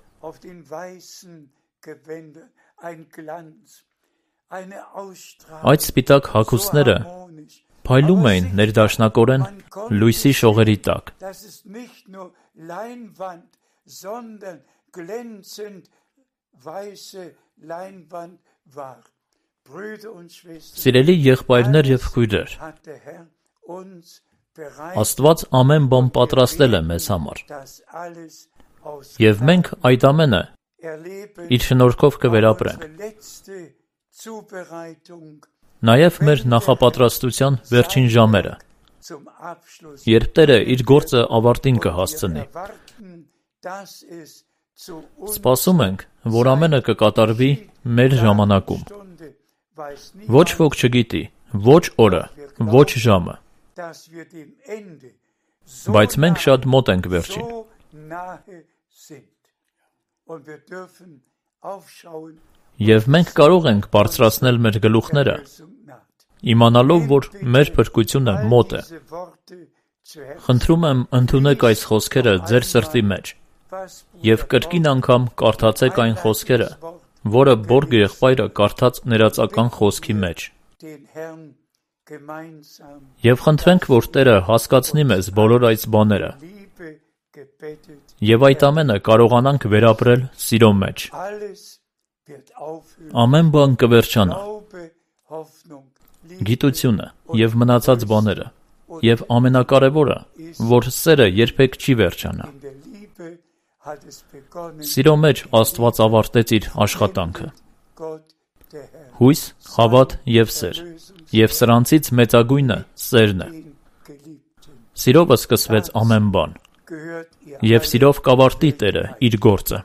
Այդ սպիտակ հագուստները փայլում էին ներդաշնակորեն լույսի շողերի տակ։ Սիրելի եղբայրներ և քույրեր, Աստված ամեն բան պատրաստել է մեզ համար, և մենք այդ ամենը իր շնորհքով կվերապրենք։ Նաև մեր նախապատրաստության վերջին ժամերը, երբ Տերը իր գործը ավարտին կհասցնի։ Սպասում ենք, որ ամենը կկատարվի մեր ժամանակում։ Ոչ ոք չգիտի, ոչ օրը, ոչ ժամը, բայց մենք շատ մոտ ենք վերջին։ Եվ մենք կարող ենք բարձրացնել մեր գլուխները, իմանալով, որ մեր փրկությունը մոտ է։ Խնդրում եմ, ընդունեք այս խոսքերը ձեր սրտի մեջ և կրկին անգամ կարդացեք այն խոսքերը, որը Բորգ եղբայրը կարդաց ներածական խոսքի մեջ։ Եվ խնդրենք, որ Տերը հասկացնի մեզ բոլոր այս բաները, և այդ ամենը կարողանանք վերապրել սիրո մեջ։ Ամեն բան կվերջանա, գիտությունը և մնացած բաները, և ամենակարևորը, որ սերը երբեք չի վերջանա։ Սիրո մեջ Աստված ավարտեց իր աշխատանքը։ Հույս, հավատ և սեր, և սրանցից մեծագույնը սերն է։ Սիրովը սկսվեց ամեն բան, և սիրով կավարտի Տերը իր գործը։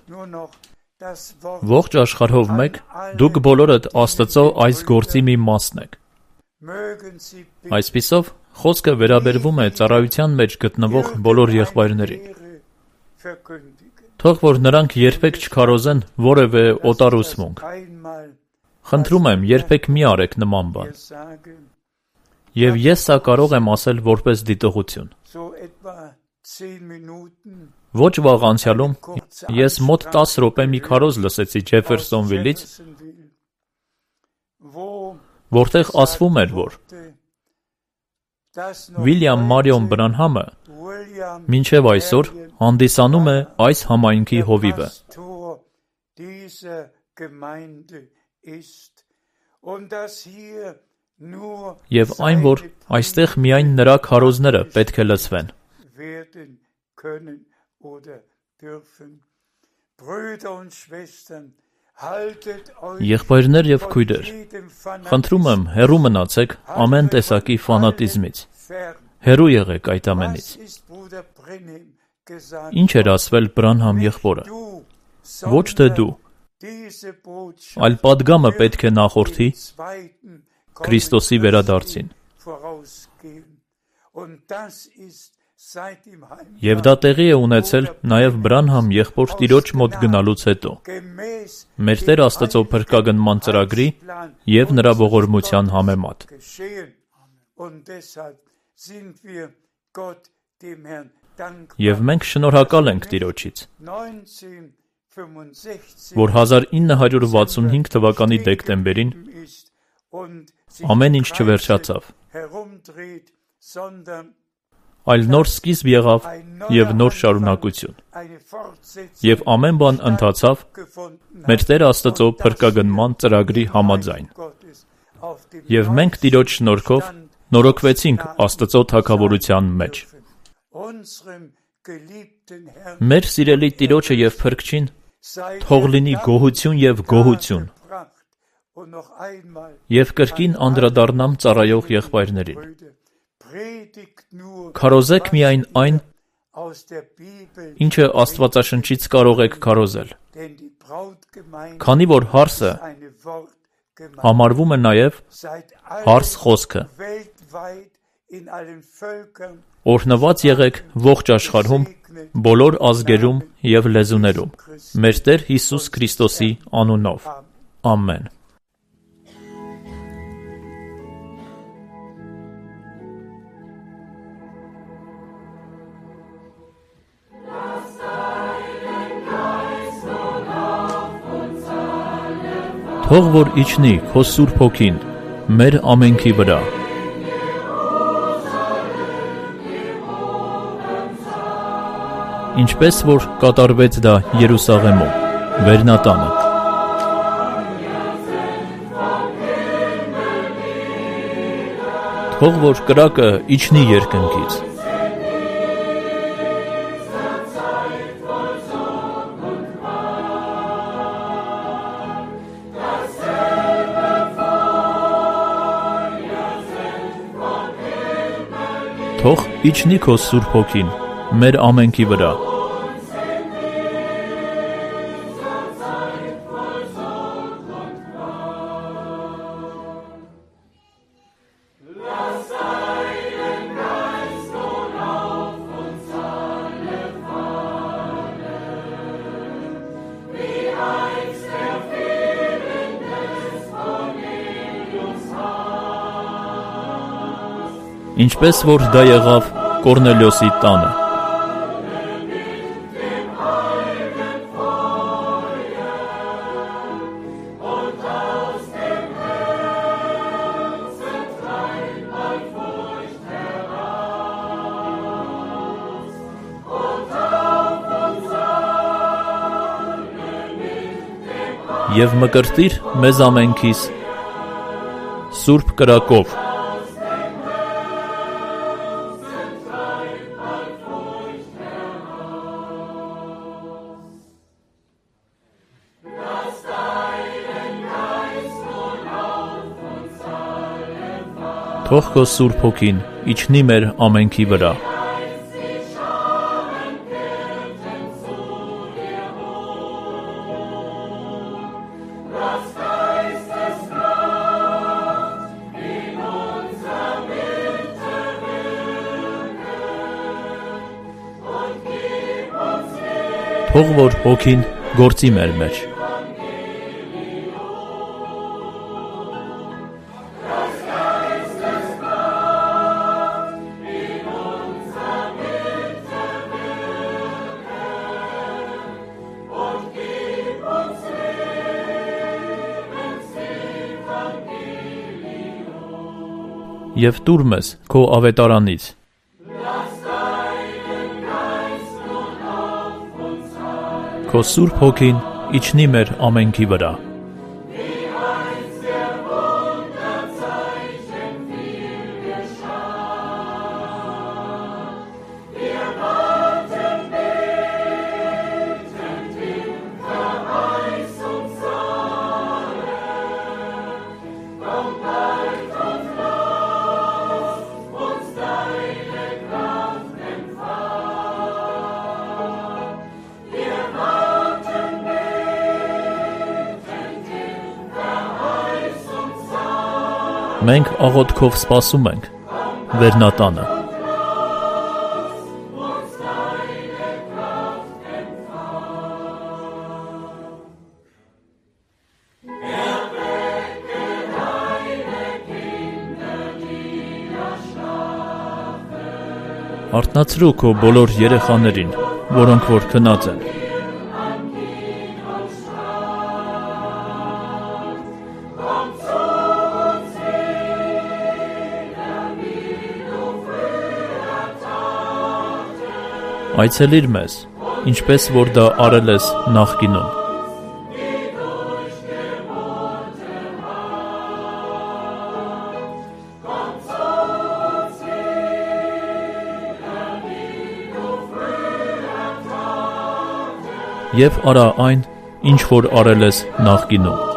Ողջ աշխարհով մեկ, դուք բոլորդ Աստծո այս գործի մի մասն եք։ Այսպիսով, խոսքը վերաբերվում է ծառայության մեջ գտնվող բոլոր եղբայրներին։ Թող որ նրանք երբեք չքարոզեն որևէ օտար ուսմունք։ Խնդրում եմ, երբեք մի արեք նման բան։ Եվ ես սա կարող եմ ասել որպես դիտողություն։ Ոչ վաղ անցյալում ես մոտ 10 րոպե մի քարոզ լսեցի Ջեֆերսոնվիլից, որտեղ ասվում էր, որ Վիլյամ Մարիոն Բրանհամը մինչև այսօր հանդիսանում է այս համայնքի հովիվը։ Եվ այն, որ այստեղ միայն նրա քարոզները պետք է լսվեն։ Եղբայրներ և քույրեր, խնդրում եմ, հեռու մնացեք ամեն տեսակի ֆանատիզմից։ Հեռու եղեք այդ ամենից։ Ինչ էր ասվել Բրանհամ եղբորը։ Ոչ թե դու, այլ պատգամը պետք է նախորդի Քրիստոսի վերադարձին։ Եվ դա տեղի է ունեցել նաև Բրանհամ եղբոր տիրոջ մոտ գնալուց հետո, մեր Տեր Աստծո փրկագնման ծրագրի և նրա ողորմության համեմատ։ Եվ մենք շնորհակալ ենք Տիրոջից, որ 1965 թվականի դեկտեմբերին Ամեն ինչ չվերջացավ, այլ նոր սկիզբ եղավ և նոր շարունակություն։ Եվ ամեն բան ընթացավ մեր Տեր Աստծո փրկագնման ծրագրի համաձայն։ Եվ մենք Տիրոջ շնորհքով նորոգվեցինք Աստծո թագավորության մեջ։ Մեր սիրելի Տիրոջը և Փրկչին թող լինի գոհություն և գոհություն։ Եվ կրկին անդրադառնամ ծառայող եղբայրներին։ Քարոզեք միայն այն, ինչը Աստվածաշնչից կարող եք քարոզել, քանի որ հարսը համարվում է նաև հարս խոսքը։ Օրհնված եղեք ողջ աշխարհում, բոլոր ազգերում և լեզուներում, մեր Տեր Հիսուս Քրիստոսի անունով։ Ամեն։ Թող որ իջնի քո Սուրբ Հոգին մեր ամենքի վրա։ Ինչպես որ կատարվեց դա Երուսաղեմում, Վերնատանը։ Թող որ կրակը իջնի երկնքից։ Թող իջնի քո Սուրբ Հոգին մեր ամենքի վրա։ Ինչպես որ դա եղավ Կորնելիոսի տանը։ Եվ մկրտիր մեզ ամենքիս Սուրբ կրակով։ Թող քո Սուրբ Հոգին իջնի մեր ամենքի վրա։ Թող որ Հոգին գործի մեր մեջ։ Եվ տուր մեզ քո ավետարանից։ Քո Սուրբ Հոգին իջնի մեր ամենքի վրա։ Մենք աղոթքով սպասում ենք Վերնատանը։ Արթնացրու քո բոլոր երեխաներին, որոնք որ քնած են։ Այցելիր մեզ, ինչպես որ դա արել ես նախկինում։ Եվ արա այն, ինչ որ արել ես նախկինում։